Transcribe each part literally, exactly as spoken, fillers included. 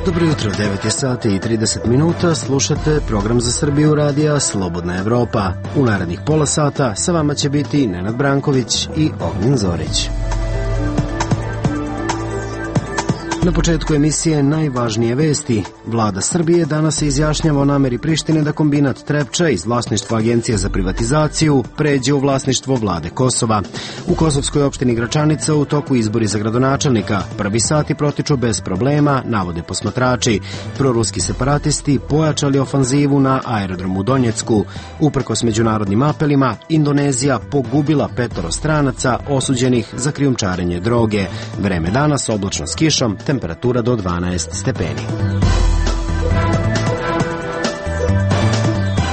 Dobro jutro, devet je sati i trideset minuta, slušate program za Srbiju radija Slobodna Evropa. U narednih pola sata sa vama će biti Nenad Branković i Ognjen Zorić. Na početku emisije najvažnije vesti. Vlada Srbije danas se izjašnjava o nameri Prištine da kombinat Trepča iz vlasništva Agencije za privatizaciju pređe u vlasništvo vlade Kosova. U kosovskoj opštini Gračanica u toku izbori za gradonačelnika. Prvi sati protiču bez problema, navode posmatrači. Proruski separatisti pojačali ofanzivu na aerodromu u Donjecku. Uprkos međunarodnim apelima, Indonezija pogubila petoro stranaca osuđenih za krijumčarenje droge. Vreme danas oblačno s kišom, temperatura do dvanaest stepeni.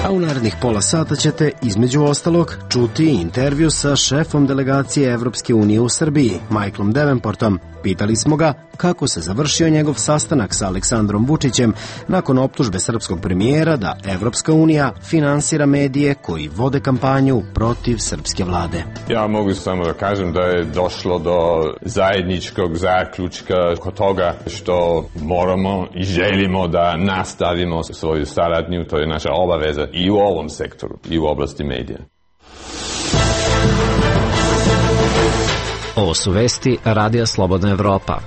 A u narednih pola sata ćete, između ostalog, čuti intervju sa šefom delegacije Evropske unije u Srbiji, Michaelom Davenportom. Pitali smo ga kako se završio njegov sastanak sa Aleksandrom Vučićem nakon optužbe srpskog premijera da Evropska unija finansira medije koji vode kampanju protiv srpske vlade. Ja mogu samo da kažem da je došlo do zajedničkog zaključka kod toga što moramo i želimo da nastavimo svoju saradnju, to je naša obaveza i u ovom sektoru i u oblasti medija. Ovo su vesti Radija Slobodna Evropa.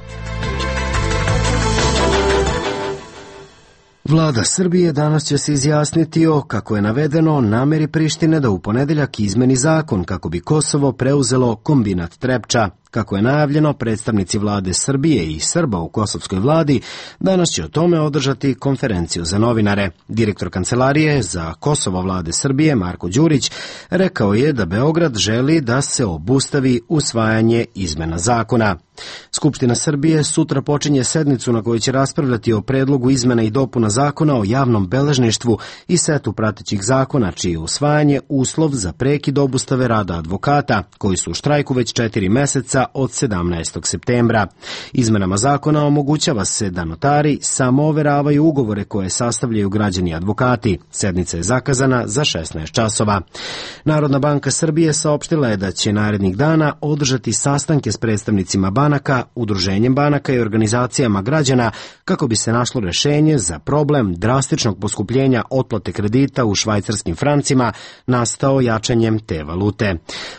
Vlada Srbije danas će se izjasniti o, kako je navedeno, nameri Prištine da u ponedeljak izmeni zakon kako bi Kosovo preuzelo kombinat Trepča. Kako je najavljeno, predstavnici vlade Srbije i Srba u kosovskoj vladi danas će o tome održati konferenciju za novinare. Direktor Kancelarije za Kosovo vlade Srbije, Marko Đurić, rekao je da Beograd želi da se obustavi usvajanje izmena zakona. Skupština Srbije sutra počinje sednicu na kojoj će raspravljati o predlogu izmena i dopuna zakona o javnom beležništvu i setu pratećih zakona, čije je usvajanje uslov za prekid obustave rada advokata, koji su u štrajku već četiri meseca od sedamnaestog septembra. Izmenama zakona omogućava se da notari samo overavaju ugovore koje sastavljaju građani i advokati. Sednica je zakazana za šesnaest časova. Narodna banka Srbije saopštila je da će narednih dana održati sastanke s predstavnicima banaka, udruženjem banaka i organizacijama građana kako bi se našlo rešenje za problem drastičnog poskupljenja otplate kredita u švajcarskim francima nastao jačanjem te valute.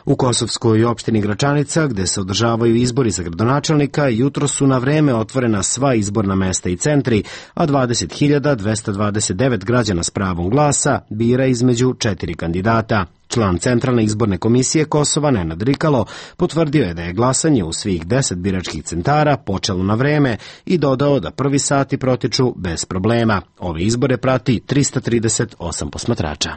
U kosovskoj opštini Gračanica, gde se održavaju izbori za gradonačelnika, jutro su na vreme otvorena sva izborna mesta i centri, a dvadeset hiljada dvesta dvadeset devet građana s pravom glasa bira između četiri kandidata. Član Centralne izborne komisije Kosova, Nenad Rikalo, potvrdio je da je glasanje u svih deset biračkih centara počelo na vreme i dodao da prvi sati protiču bez problema. Ove izbore prati trista trideset osam posmatrača.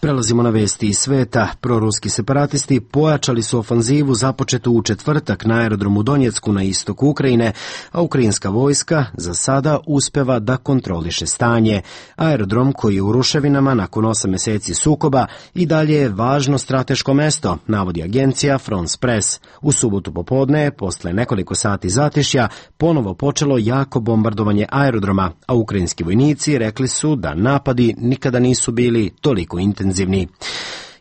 Prelazimo na vesti iz sveta. Proruski separatisti pojačali su ofanzivu započetu u četvrtak na aerodromu Donjecku na istoku Ukrajine, a ukrajinska vojska za sada uspeva da kontroliše stanje. Aerodrom, koji je u ruševinama nakon osam meseci sukoba, i dalje je važno strateško mesto, navodi agencija France Press. U subotu popodne, posle nekoliko sati zatišja, ponovo počelo jako bombardovanje aerodroma, a ukrajinski vojnici rekli su da napadi nikada nisu bili toliko intenzivni.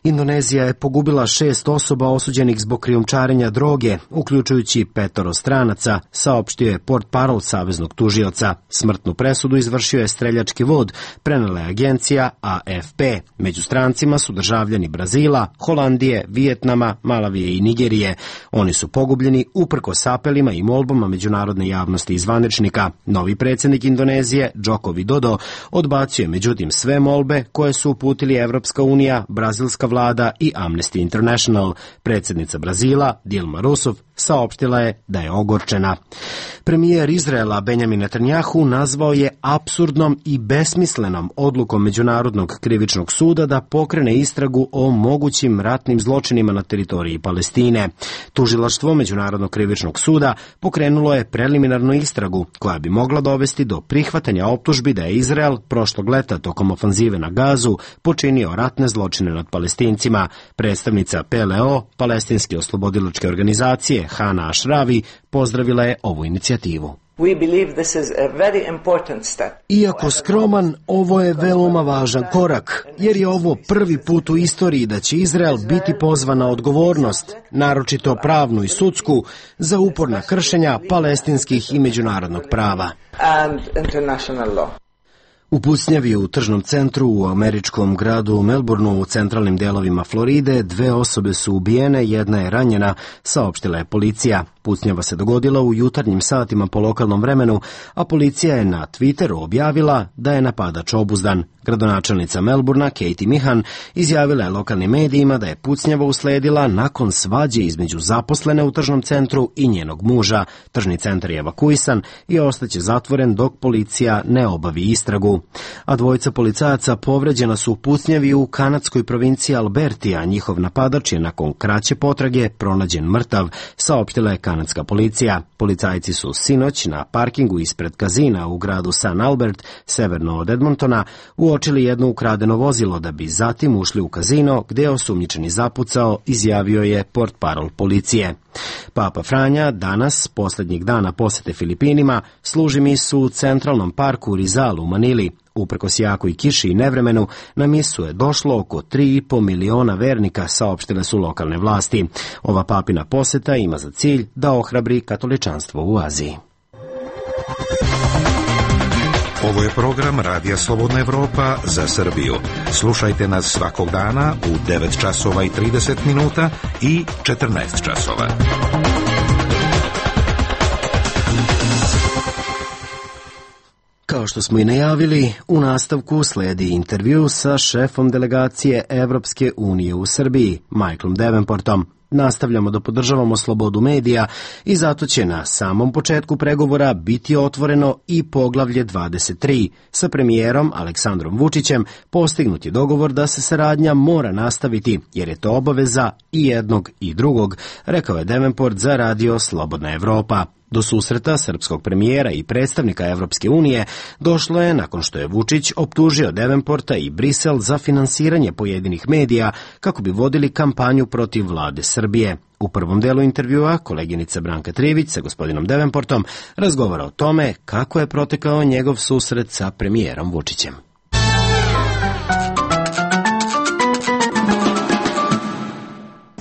Indonezija je pogubila šest osoba osuđenih zbog krijumčarenja droge, uključujući petoro stranaca, saopštio je portparol saveznog tužioca. Smrtnu presudu izvršio je streljački vod, prenela je agencija A F P. Među strancima su državljani Brazila, Holandije, Vijetnama, Malavije i Nigerije. Oni su pogubljeni uprkos apelima i molbama međunarodne javnosti i zvaničnika. Novi predsjednik Indonezije, Joko Widodo, odbacio međutim sve molbe koje su uputili Evropska unija, brazilska vlada i Amnesty International. Predsjednica Brazila, Dilma Rousseff, saopštila je da je ogorčena. Premijer Izraela Benjamin Netanjahu nazvao je apsurdnom i besmislenom odlukom Međunarodnog krivičnog suda da pokrene istragu o mogućim ratnim zločinima na teritoriji Palestine. Tužilaštvo Međunarodnog krivičnog suda pokrenulo je preliminarnu istragu koja bi mogla dovesti do prihvatanja optužbi da je Izrael prošlog leta tokom ofanzive na Gazu počinio ratne zločine nad Palestincima. Predstavnica P L O, Palestinske oslobodilačke organizacije, Hana Ašravi, pozdravila je ovu inicijativu. Iako skroman, ovo je veoma važan korak, jer je ovo prvi put u istoriji da će Izrael biti pozvan na odgovornost, naročito pravnu i sudsku, za uporna kršenja palestinskih i međunarodnog prava. U pucnjavi u tržnom centru u američkom gradu Melbourneu u centralnim delovima Floride dve osobe su ubijene, jedna je ranjena, saopštila je policija. Pucnjava se dogodila u jutarnjim satima po lokalnom vremenu, a policija je na Twitteru objavila da je napadač obuzdan. Gradonačelnica Melbourna, Katie Mihan, izjavila je lokalnim medijima da je pucnjava usledila nakon svađe između zaposlene u tržnom centru i njenog muža. Tržni centar je evakuisan i ostaće zatvoren dok policija ne obavi istragu. A dvojica policajaca povređena su u pucnjavi u kanadskoj provinciji Alberti, a njihov napadač je nakon kraće potrage pronađen mrtav, saopštila je kanadska policija. Policajci su sinoć na parkingu ispred kazina u gradu San Albert, severno od Edmontona, uočili jedno ukradeno vozilo da bi zatim ušli u kazino gde je osumnjičeni zapucao, izjavio je portparol policije. Papa Franja danas, posljednjeg dana posete Filipinima, služi misu u centralnom parku Rizal u Manili. Uprkos jakoj kiši i nevremenu, na misu je došlo oko tri i po miliona vernika, saopštile su lokalne vlasti. Ova papina poseta ima za cilj da ohrabri katoličanstvo u Aziji. Ovo je program Radija Slobodna Evropa za Srbiju. Slušajte nas svakog dana u devet časova i trideset minuta i četrnaest časova. Kao što smo i najavili, u nastavku sledi intervju sa šefom delegacije Evropske unije u Srbiji, Michaelom Davenportom. Nastavljamo da podržavamo slobodu medija i zato će na samom početku pregovora biti otvoreno i poglavlje dvadeset tri. Sa premijerom Aleksandrom Vučićem postignut je dogovor da se saradnja mora nastaviti, jer je to obaveza i jednog i drugog, rekao je Davenport za radio Slobodna Evropa. Do susreta srpskog premijera i predstavnika Evropske unije došlo je nakon što je Vučić optužio Davenporta i Brisel za finansiranje pojedinih medija kako bi vodili kampanju protiv vlade Srbije. U prvom delu intervjua koleginica Branka Trivić sa gospodinom Davenportom razgovara o tome kako je protekao njegov susret sa premijerom Vučićem.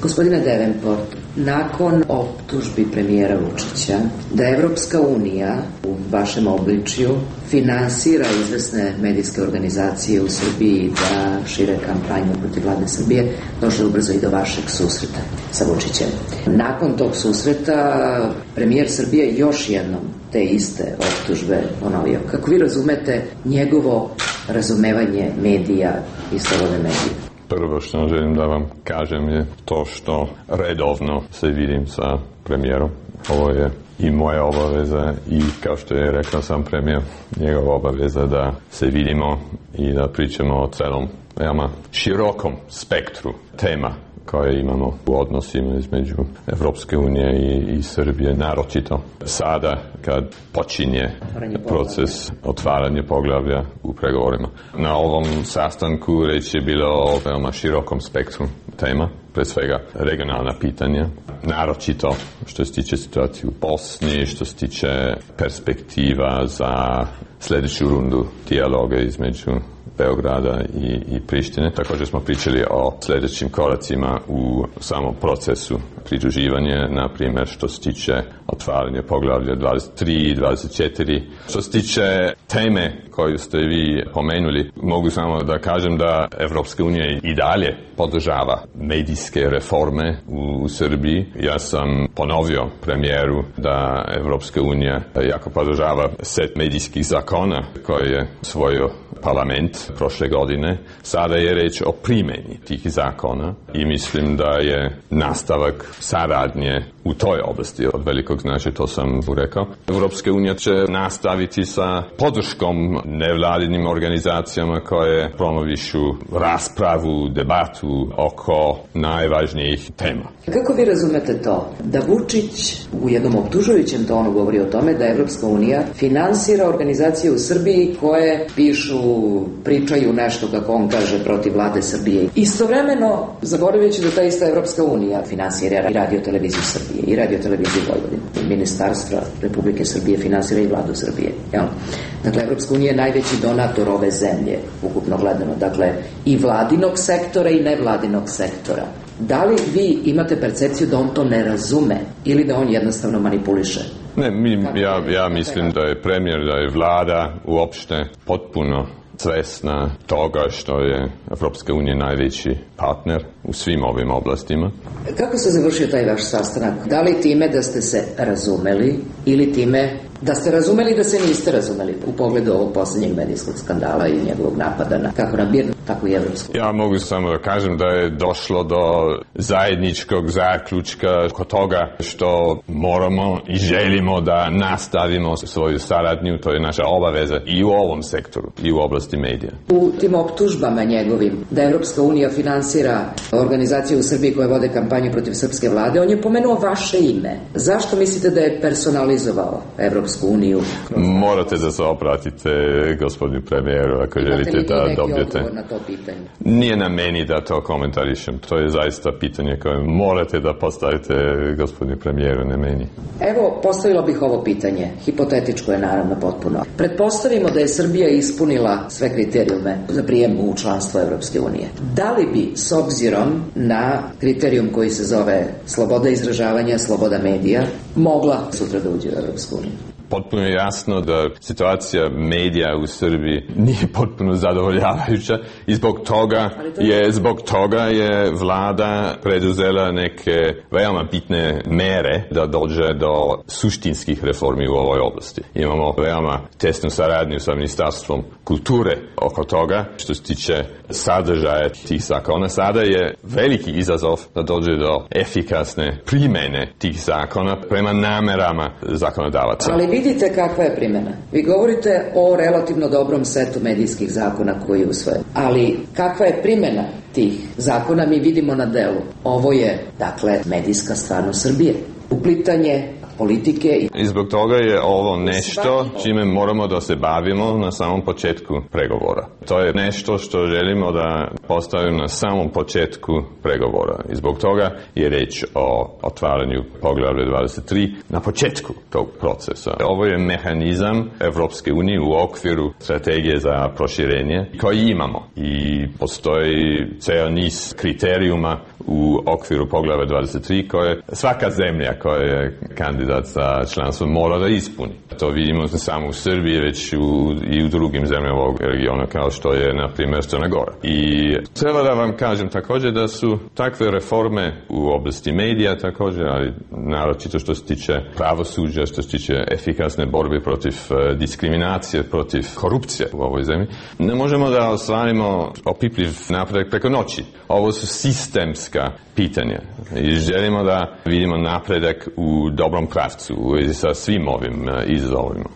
Gospodine Davenport, nakon optužbi premijera Vučića da Evropska unija u vašem obličju finansira izvesne medijske organizacije u Srbiji da šire kampanju protiv vlade Srbije, došlo je ubrzo i do vašeg susreta sa Vučićem. Nakon tog susreta premijer Srbije još jednom te iste optužbe ponovio. Kako vi razumete njegovo razumevanje medija i slobodne medije? Prvo što želim da vam kažem je to što redovno se vidim sa premijerom. Ovo je i moja obaveza i kao što je rekao sam premijer, njegova obaveza da se vidimo i da pričamo o celom veoma širokom spektru tema koje imamo u odnosima između Evropske unije i, i Srbije, naročito sada kad počinje proces otvaranja poglavlja u pregovorima. Na ovom sastanku reč je bilo o veoma širokom spektru tema, pre svega regionalna pitanja, naročito što se tiče situacije u Bosni, što se tiče perspektiva za sljedeću rundu dijaloga između Beograda i, i Prištine. Također smo pričali o sljedećim koracima u samom procesu pridruživanja, na primjer što se tiče otvaranja poglavlja dvadeset tri i dvadeset četiri. Što se tiče teme koju ste vi pomenuli, mogu samo da kažem da Evropska unija i dalje podržava medijske reforme u, u Srbiji. Ja sam ponovio premijeru da Evropska unija jako podržava set medijskih zakona koje je svojio parlament prošle godine. Sada je reč o primjeni tih zakona i mislim da je nastavak saradnje u toj oblasti od velikog značaja, to sam rekao. Evropska unija će nastaviti sa podrškom nevladinim organizacijama koje promovišu raspravu, debatu oko najvažnijih tema. Kako vi razumete to da Vučić u jednom optužujućem tonu govori o tome da Evropska unija finansira organizacije u Srbiji koje pišu, pričaju nešto, kako on kaže, protiv vlade Srbije. Istovremeno, zaboravljajući da ta ista Evropska unija finansira i radio televiziju Srbije i radio televiziju Vojvodine. ministarstva Republike Srbije finansira i vladu Srbije. Jel? Dakle, Evropska unija je najveći donator ove zemlje, ukupno gledano. Dakle, i vladinog sektora i nevladinog sektora. Da li vi imate percepciju da on to ne razume ili da on jednostavno manipuliše? Ne, mi, ja, ja mislim da je premijer, da je vlada uopšte potpuno svesna toga što je Evropska unija najveći partner u svim ovim oblastima. Kako se završio taj vaš sastanak? Da li time da ste se razumeli ili time da ste razumeli da se niste razumeli u pogledu ovog posljednjeg medijskog skandala i njegovog napada na kako na Birnu, tako i Evropsku? Ja mogu samo da kažem da je došlo do zajedničkog zaključka kod toga što moramo i želimo da nastavimo svoju saradnju, to je naša obaveza i u ovom sektoru i u oblasti medija. U tim optužbama njegovim da Evropska unija finansira organizacije u Srbiji koje vode kampanju protiv srpske vlade, on je pomenuo vaše ime. Zašto mislite da je personalizovao Evropsku uniju? Morate da se obratite gospodinu premijeru ako želite da dobijete. Na to pitanje? Nije na meni da to komentarišem. To je zaista pitanje koje morate da postavite gospodinu premijeru, ne meni. Evo, postavila bih ovo pitanje. Hipotetičko je naravno potpuno. Pretpostavimo da je Srbija ispunila sve kriterijume za prijem u članstvo Evropske unije. Da li bi, s obzirom na kriterijum koji se zove sloboda izražavanja, sloboda medija, mogla sutra da uđe u Evropsku uniju? Potpuno je jasno da situacija medija u Srbiji nije potpuno zadovoljavajuća i zbog toga je, zbog toga je vlada preduzela neke veoma bitne mere da dođe do suštinskih reformi u ovoj oblasti. Imamo veoma tesnu saradnju sa Ministarstvom kulture oko toga što se tiče sadržaja tih zakona. Sada je veliki izazov da dođe do efikasne primene tih zakona prema namerama zakonodavaca. Ali vidite kakva je primjena. Vi govorite o relativno dobrom setu medijskih zakona koji je usvojen. Ali kakva je primjena tih zakona mi vidimo na delu. Ovo je, dakle, medijska stvarnost Srbije. Uplitanje politike. I zbog toga je ovo nešto čime moramo da se bavimo na samom početku pregovora. To je nešto što želimo da postavimo na samom početku pregovora. I zbog toga je reč o otvaranju poglavlja dvadeset tri na početku tog procesa. Ovo je mehanizam Evropske unije u okviru strategije za proširenje koji imamo. I postoji ceo niz kriterijuma u okviru poglavlja dvadeset tri koje svaka zemlja koja je kandidat za članstvo mora da ispuni. To vidimo ne samo u Srbiji, već u, i u drugim zemljama ovog regiona kao što je, na primjer, Crna Gora. I treba da vam kažem također da su takve reforme u oblasti medija također, ali naročito što se tiče pravosuđa, što se tiče efikasne borbe protiv uh, diskriminacije, protiv korupcije u ovoj zemlji, ne možemo da ostvarimo opipljiv napredak preko noći. Ovo su sistemska pitanja i želimo da vidimo napredak u dobrom pravcu u vezi sa svim ovim uh, izazovima.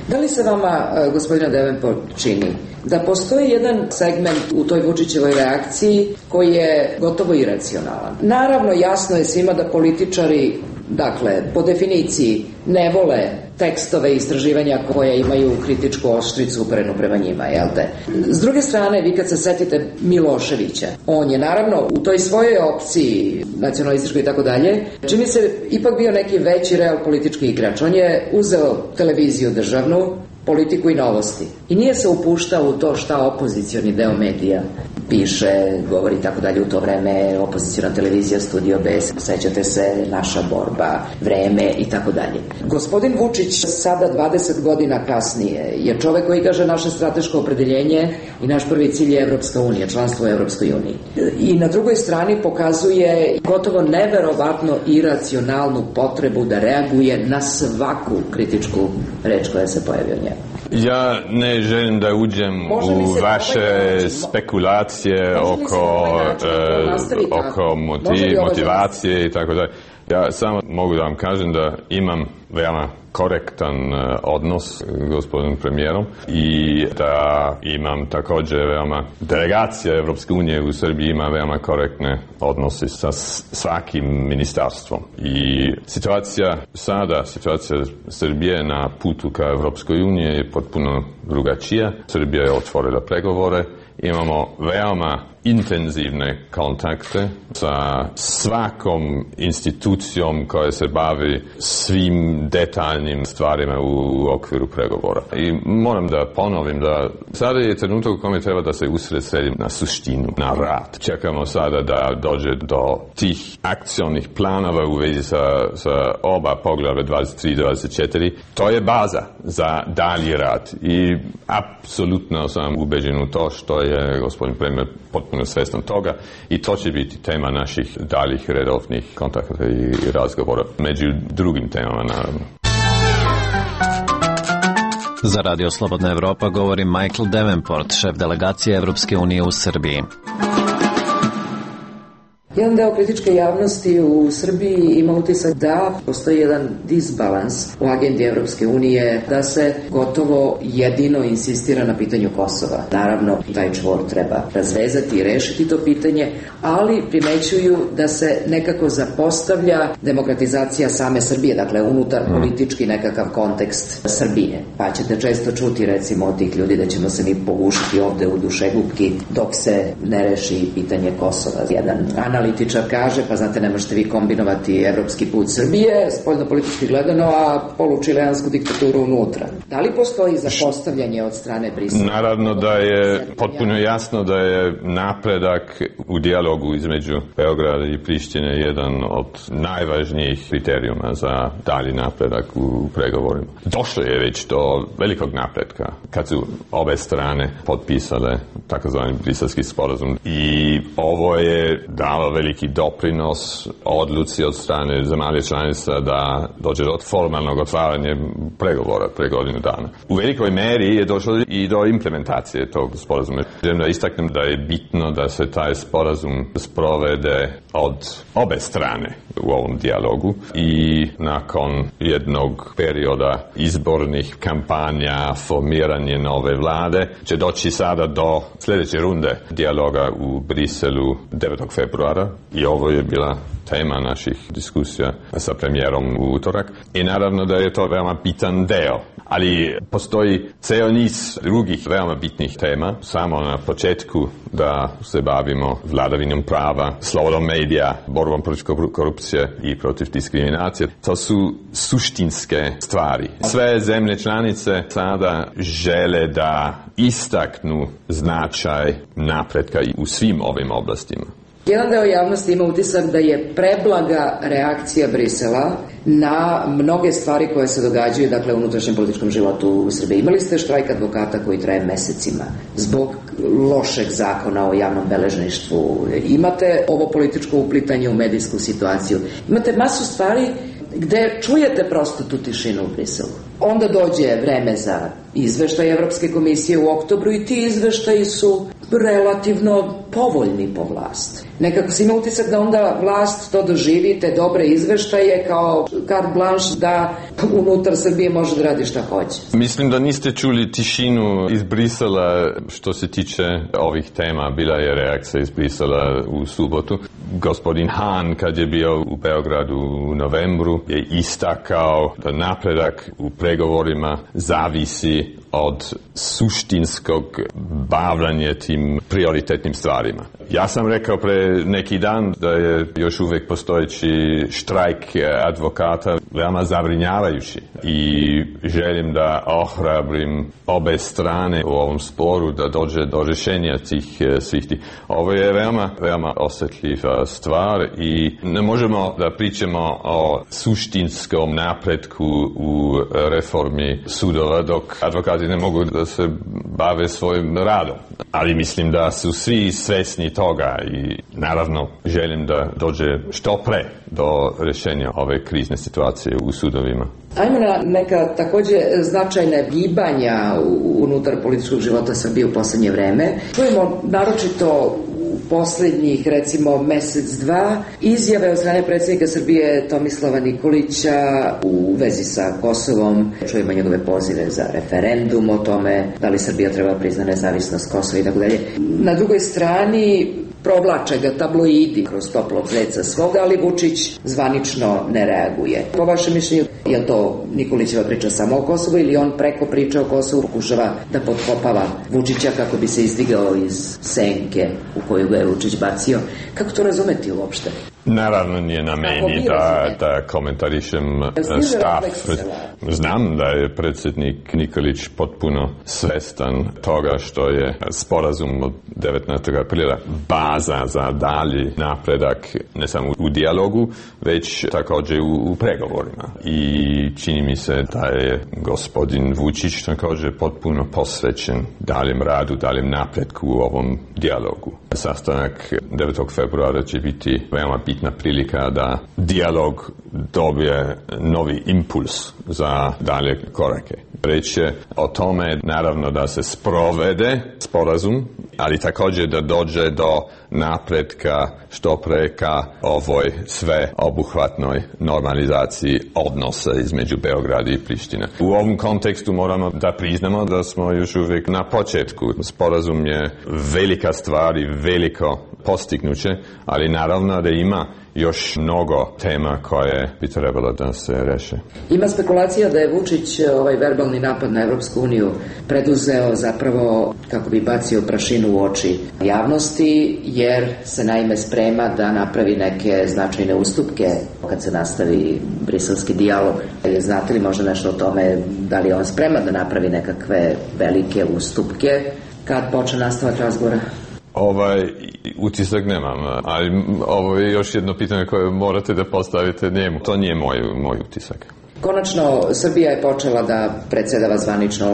Da li se vama, gospodina Devenport, čini da postoji jedan segment u toj Vučićevoj reakciji koji je gotovo iracionalan? Naravno, jasno je svima da političari, dakle, po definiciji ne vole tekstove i istraživanja koje imaju kritičku oštricu uperenu prema njima, jel te? S druge strane, vi kad se setite Miloševića, on je naravno u toj svojoj opciji nacionalističkoj i tako dalje, čini se ipak bio neki veći real politički igrač. On je uzeo televiziju državnu, politiku i novosti. I nije se upuštao u to šta opozicioni deo medija piše, govori i tako dalje. U to vreme opoziciona televizija, Studio B, sećate se, Naša borba, Vreme i tako dalje. Gospodin Vučić sada dvadeset godina kasnije je čovek koji kaže naše strateško opredeljenje i naš prvi cilj je Evropska unija, članstvo u Evropskoj uniji. I na drugoj strani pokazuje gotovo neverovatno iracionalnu potrebu da reaguje na svaku kritičku reč koja se pojavi od njega. Ja ne želim da uđem u vaše spekulacije oko, e, oko motiv, motivacije i tako dalje. Ja samo mogu da vam kažem da imam veoma korektan odnos s gospodinom premijerom i da imam također veoma, delegacija Evropske unije u Srbiji ima veoma korektne odnose sa svakim ministarstvom. I situacija sada, situacija Srbije na putu ka Evropskoj unije je potpuno drugačija. Srbija je otvorila pregovore. Imamo veoma intenzivne kontakte sa svakom institucijom koja se bavi svim detaljnim stvarima u okviru pregovora. I moram da ponovim da sada je trenutak u kome treba da se usredsredim na suštinu, na rad. Čekamo sada da dođe do tih akcionih planova u vezi sa, sa oba poglavlja dvadeset tri i dvadeset četiri. To je baza za dalji rad i apsolutno sam ubeđen u to što je gospodin premijer potpuno svjestan toga i to će biti tema naših daljih redovnih kontakata i razgovora, među drugim temama naravno. Za Radio Slobodna Evropa govori Michael Davenport, šef delegacije Evropske unije u Srbiji. Jedan deo kritičke javnosti u Srbiji ima utisak da postoji jedan disbalans u agendi Evropske unije, da se gotovo jedino insistira na pitanju Kosova. Naravno, taj čvor treba razvezati i rešiti to pitanje, ali primećuju da se nekako zapostavlja demokratizacija same Srbije, dakle unutar politički nekakav kontekst Srbije. Pa ćete često čuti recimo od tih ljudi da ćemo se mi pogušiti ovde u dušegupki dok se ne reši pitanje Kosova. Jedan analiz analitičar kaže, pa znate, ne možete vi kombinovati evropski put Srbije, spoljno-politički gledano, a polučileansku diktaturu unutra. Da li postoji zapostavljanje od strane Brisela? Naravno da je potpuno jasno da je napredak u dijalogu između Beograda i Prištine jedan od najvažnijih kriterijuma za dalji napredak u pregovorima. Došlo je već do velikog napretka kad su obe strane potpisale takozvani briselski sporazum i ovo je dalo veliki doprinos odluci od strane zemalja članica da dođe do formalnog otvaranja pregovora pre godinu dana. U velikoj meri je došlo i do implementacije tog sporazuma. Želim da istaknem da je bitno da se taj sporazum sprovede od obe strane u ovom dijalogu i nakon jednog perioda izbornih kampanja, formiranje nove vlade, će doći sada do sljedeće runde dijaloga u Briselu devetog februara i ovo je bila tema naših diskusija sa premijerom u utorak. I naravno da je to veoma bitan deo. Ali postoji ceo niz drugih veoma bitnih tema. Samo na početku da se bavimo vladavinom prava, slobodom medija, borbom protiv korupcije i protiv diskriminacije. To su suštinske stvari. Sve zemlje članice sada žele da istaknu značaj napretka u svim ovim oblastima. Jedan deo javnosti ima utisak da je preblaga reakcija Brisela na mnoge stvari koje se događaju, dakle, u unutrašnjem političkom životu u Srbiji. Imali ste štrajk advokata koji traje mesecima zbog lošeg zakona o javnom beležništvu. Imate ovo političko uplitanje u medijsku situaciju. Imate masu stvari gde čujete prosto tu tišinu u Briselu. Onda dođe vreme za izveštaj Evropske komisije u oktobru i ti izveštaji su relativno povoljni po vlast. Nekako se ima utisak da onda vlast to doživi, te dobre izveštaje kao carte blanche da unutar Srbije može da radi šta hoće. Mislim da niste čuli tišinu iz Brisela što se tiče ovih tema. Bila je reakcija iz Brisela u subotu. Gospodin Hahn, kad je bio u Beogradu u novembru, je istakao da napredak u pregovorima zavisi od suštinskog bavljanja tim prioritetnim stvarima. Ja sam rekao pre neki dan da je još uvijek postojeći štrajk advokata veoma zabrinjavajući i želim da ohrabrim obe strane u ovom sporu da dođe do rješenja tih svih tih. Ovo je veoma, veoma osjetljiva stvar i ne možemo da pričamo o suštinskom napretku u reformi sudova dok advokati ne mogu da se bave svojim radom. Ali mislim da su svi svesni toga i naravno želim da dođe što pre do rješenja ove krizne situacije u sudovima. Ajmo na neka takođe značajna gibanja unutar političkog života Srbije u poslednje vreme. Čujemo naročito u poslednjih, recimo, mesec, dva, izjave od strane predsjednika Srbije Tomislava Nikolića u vezi sa Kosovom. Čujemo njegove pozive za referendum o tome da li Srbija treba prizna nezavisnost Kosova i tako dalje. Na drugoj strani provlače ga tabloidi kroz toplog zeca svoga, ali Vučić zvanično ne reaguje. Po vašem mišljenju, je to Nikolićeva priča samo o Kosovu ili on preko priče o Kosovu pokušava da potkopava Vučića kako bi se izdigao iz senke u koju ga je Vučić bacio? Kako to razumeti uopšte? Naravno nije na meni da, da komentarišem stav. Znam da je predsjednik Nikolić potpuno svestan toga što je sporazum od devetnaestog aprila baza za dalji napredak ne samo u dijalogu, već također u, u pregovorima. I čini mi se da je gospodin Vučić također potpuno posvećen daljem radu, daljem napretku u ovom dijalogu. Sastanak devetog februara će biti veoma bitna prilika da dijalog dobije novi impuls za dalje korake. Reč je o tome naravno da se sprovede sporazum, ali također da dođe do napretka što pre ka ovoj sveobuhvatnoj normalizaciji odnosa između Beograda i Prištine. U ovom kontekstu moramo da priznamo da smo još uvijek na početku. Sporazum je velika stvar i veliko postignuće, ali naravno da ima još mnogo tema koje bi trebalo da se reše. Ima spekulacija da je Vučić ovaj verbalni napad na Evropsku uniju preduzeo zapravo kako bi bacio prašinu u oči javnosti, jer se naime sprema da napravi neke značajne ustupke kad se nastavi briselski dijalog. Znate li možda nešto o tome, da li je on spreman da napravi nekakve velike ustupke kad počne nastavak razgovora? Ovaj utisak nemam, ali ovo je još jedno pitanje koje morate da postavite njemu. To nije moj, moj utisak. Konačno, Srbija je počela da predsjedava zvanično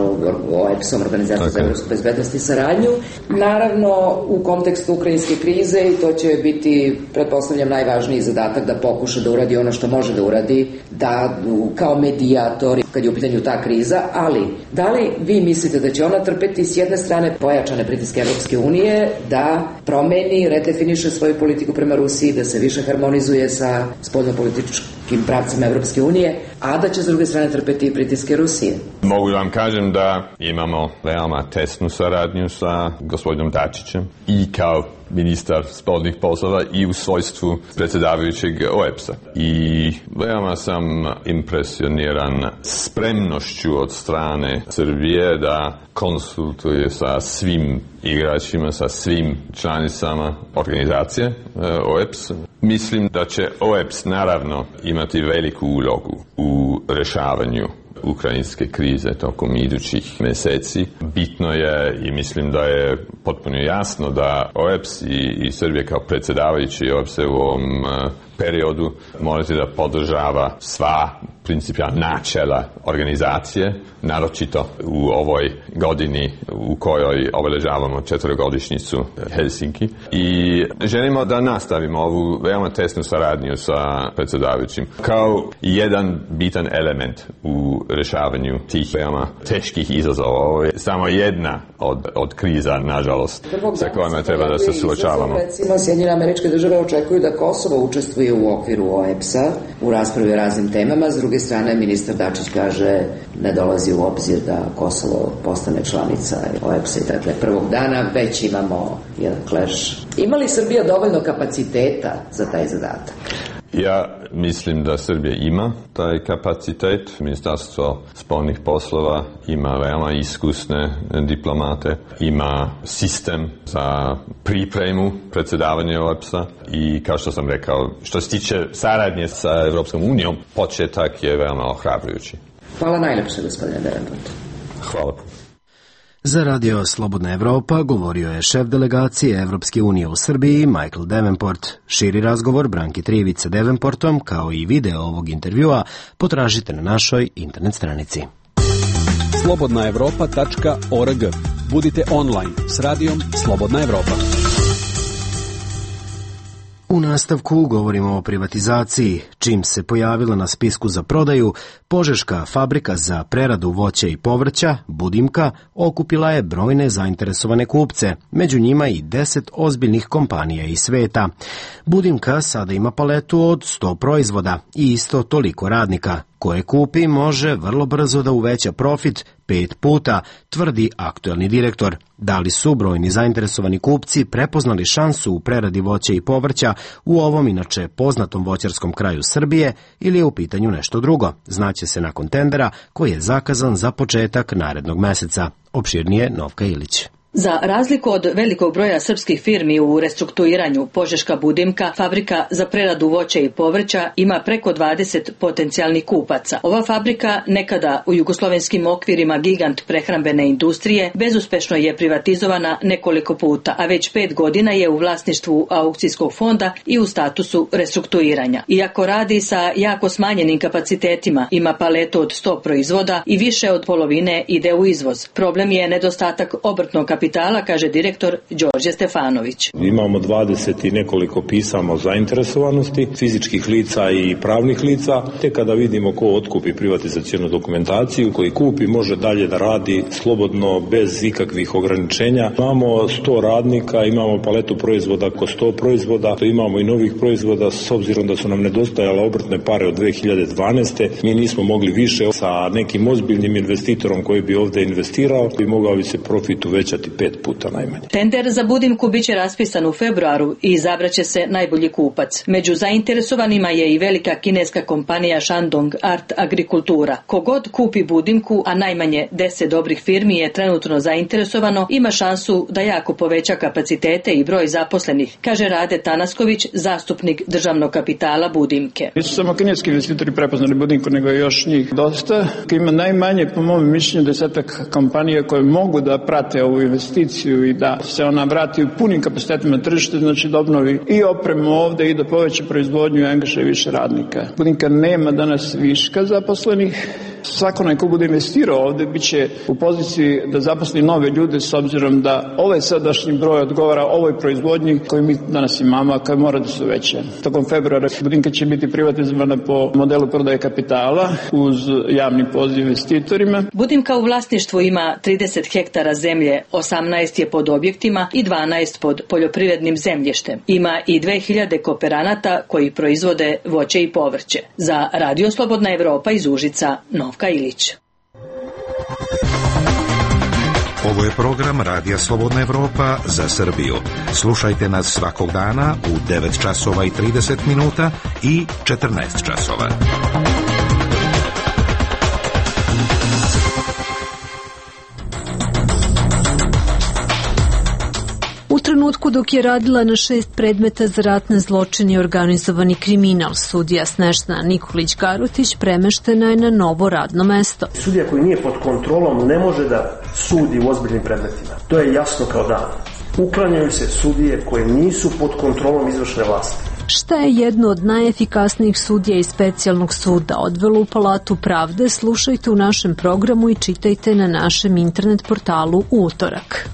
O E P S-om, Organizacijom za evropsku bezbednost i saradnju. Naravno, u kontekstu ukrajinske krize, i to će biti, pretpostavljam, najvažniji zadatak da pokuša da uradi ono što može da uradi, da kao medijator, kad je u pitanju ta kriza, ali da li vi mislite da će ona trpeti s jedne strane pojačane pritiske Evropske unije, da promeni, redefiniše svoju politiku prema Rusiji, da se više harmonizuje sa spoljnopolitičkim pravcima Evropske unije, a da će s druge strane trpeti i pritiske Rusije? Mogu vam kažem da imamo veoma tesnu saradnju sa gospodinom Dačićem i kao ministar spoljnih poslova i u svojstvu predsjedavajućeg O E P S-a. I veoma sam impresioniran spremnošću od strane Srbije da konsultuje sa svim igračima, sa svim članicama organizacije O E P S. Mislim da će O E P S naravno imati veliku ulogu u rješavanju ukrajinske krize tokom idućih mjeseci. Bitno je i mislim da je potpuno jasno da O E P S i, i Srbija kao predsjedavajući O E P S u ovom uh, periodu morate da podržava sva principijalna načela organizacije, naročito u ovoj godini u kojoj obeležavamo četvrogodišnjicu Helsinki. I želimo da nastavimo ovu veoma tesnu saradnju sa predsjedavajućim kao jedan bitan element u rješavanju tih veoma teških izazova. Ovo je samo jedna od, od kriza, nažalost, sa kojima treba da se suočavamo. Recimo, Sjedinjene Američke Države očekuju da Kosovo učestvuje u okviru O E P S-a u raspravi o raznim temama. S druge strane, ministar Dačić kaže ne dolazi u obzir da Kosovo postane članica O E P S-a i dakle prvog dana već imamo jedan clash. Ima li Srbija dovoljno kapaciteta za taj zadatak? Ja mislim da Srbija ima taj kapacitet. Ministarstvo spoljnih poslova ima veoma iskusne diplomate, ima sistem za pripremu predsjedavanja O E P S-a i kao što sam rekao, što se tiče saradnje sa Evropskom unijom, početak je veoma ohrabrujući. Hvala najlepše, gospodine Davenport. Hvala puno. Za Radio Slobodna Evropa govorio je šef delegacije Evropske unije u Srbiji Michael Davenport. Širi razgovor Branki Trivić sa Davenportom kao i video ovog intervjua potražite na našoj internet stranici. slobodna evropa tačka org. Budite online s radijom Slobodna Evropa. U nastavku govorimo o privatizaciji. čim se pojavila na spisku za prodaju, požeška fabrika za preradu voća i povrća, Budimka, okupila je brojne zainteresovane kupce, među njima i deset ozbiljnih kompanija iz sveta. Budimka sada ima paletu od sto proizvoda i isto toliko radnika. Koje kupi može vrlo brzo da uveća profit pet puta, tvrdi aktuelni direktor. Da li su brojni zainteresovani kupci prepoznali šansu u preradi voća i povrća u ovom inače poznatom voćarskom kraju Srbije ili je u pitanju nešto drugo? Znaće se nakon tendera koji je zakazan za početak narednog meseca. Opširnije Novka Ilić. Za razliku od velikog broja srpskih firmi u restrukturiranju, požeška Budimka, fabrika za preradu voća i povrća, ima preko dvadeset potencijalnih kupaca. Ova fabrika, nekada u jugoslovenskim okvirima gigant prehrambene industrije, bezuspešno je privatizovana nekoliko puta, a već pet godina je u vlasništvu aukcijskog fonda i u statusu restrukturiranja. Iako radi sa jako smanjenim kapacitetima, ima paletu od sto proizvoda i više od polovine ide u izvoz. Problem je nedostatak obrtnog kapitala, kaže direktor Đorđe Stefanović. Imamo dvadeset i nekoliko pisama o zainteresovanosti fizičkih lica i pravnih lica, te kada vidimo ko otkupi privatizacionu dokumentaciju, koji kupi može dalje da radi slobodno bez ikakvih ograničenja. Imamo sto radnika, imamo paletu proizvoda oko sto proizvoda, imamo i novih proizvoda s obzirom da su nam nedostajale obrtne pare od dve hiljade dvanaeste. Mi nismo mogli više sa nekim ozbiljnim investitorom koji bi ovde investirao i mogao bi se profit uvećati pet puta najmanje. Tender za Budimku biće raspisan u februaru i izabraće se najbolji kupac. Među zainteresovanima je i velika kineska kompanija Shandong Art Agrikultura. Kogod kupi Budimku, a najmanje deset dobrih firmi je trenutno zainteresovano, ima šansu da jako poveća kapacitete i broj zaposlenih, kaže Rade Tanasković, zastupnik državnog kapitala Budimke. Nisu samo kineski investitori prepoznali Budimku, nego je još njih dosta. Ima najmanje, po mom mišljenju, desetak kompanija koje mogu da prate ovu investiciju i da se ona vrati u punim kapacitetima tržište, znači da obnovi i opremu ovde i da poveća proizvodnju i angažuje više radnika. Budimka nema danas viška zaposlenih. Svako neko bude investirao ovde biće u poziciji da zaposli nove ljude s obzirom da ovaj sadašnji broj odgovara ovoj proizvodnji koju mi danas imamo, a koja mora da se uveća. Tokom februara Budimka će biti privatizovana po modelu prodaje kapitala uz javni poziv investitorima. Budimka u vlasništvu ima trideset hektara zemlje, osamnaest je pod objektima i dvanaest pod poljoprivrednim zemljištem. Ima i dve hiljade kooperanata koji proizvode voće i povrće. Za Radio Slobodna Evropa iz Užica, Novka Ilić. Ovo je program Radija Slobodna Evropa za Srbiju. Slušajte nas svakog dana u devet časova i trideset minuta i četrnaest časova. U trenutku dok je radila na šest predmeta za ratne zločine i organizovani kriminal, sudija Snežana Nikolić-Garutić premeštena je na novo radno mesto. Sudija koji nije pod kontrolom ne može da sudi u ozbiljnim predmetima. To je jasno kao dan. Uklanjaju se sudije koje nisu pod kontrolom izvršne vlasti. Šta je jedno od najefikasnijih sudija iz specijalnog suda odvelo u Palatu pravde, slušajte u našem programu i čitajte na našem internet portalu u utorak.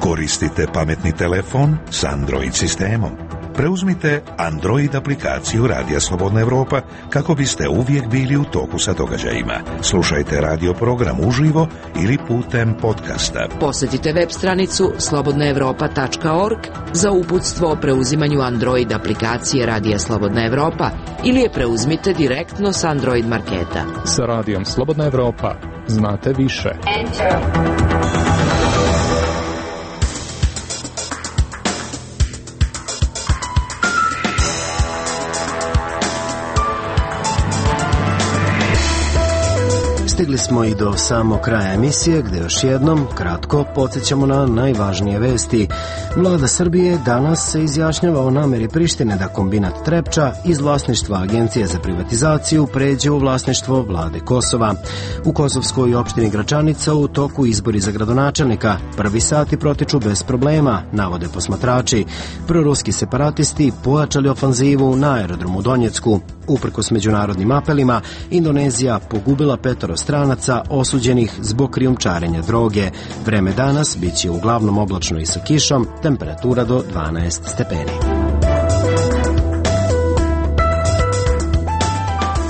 Koristite pametni telefon s Android sistemom. Preuzmite Android aplikaciju Radija Slobodna Evropa kako biste uvijek bili u toku sa događajima. Slušajte radio program uživo ili putem podcasta. Posjetite web stranicu slobodna evropa tačka org za uputstvo o preuzimanju Android aplikacije Radija Slobodna Evropa ili je preuzmite direktno s Android marketa. Sa Radijom Slobodna Evropa znate više. Enter. Stigli smo i do samog kraja emisije, gde još jednom kratko podsjećamo na najvažnije vesti. Vlada Srbije danas se izjašnjava o nameri Prištine da kombinat Trepča iz vlasništva Agencije za privatizaciju pređe u vlasništvo vlade Kosova. U kosovskoj opštini Gračanica u toku izbori za gradonačelnika. Prvi sati protiču bez problema, navode posmatrači. Proruski separatisti pojačali ofanzivu na aerodromu Donjecku. Uprkos međunarodnim apelima, Indonezija pogubila petoro stranaca osuđenih zbog krijumčarenja droge. Vreme danas bit će uglavnom oblačno i sa kišom, temperatura do dvanaest stepeni.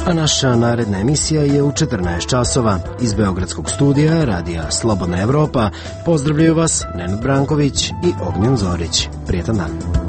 A naša naredna emisija je u četrnaest časova. Iz Beogradskog studija Radija Slobodna Evropa pozdravljaju vas Nenad Branković i Ognjen Zorić. Prijetan dan.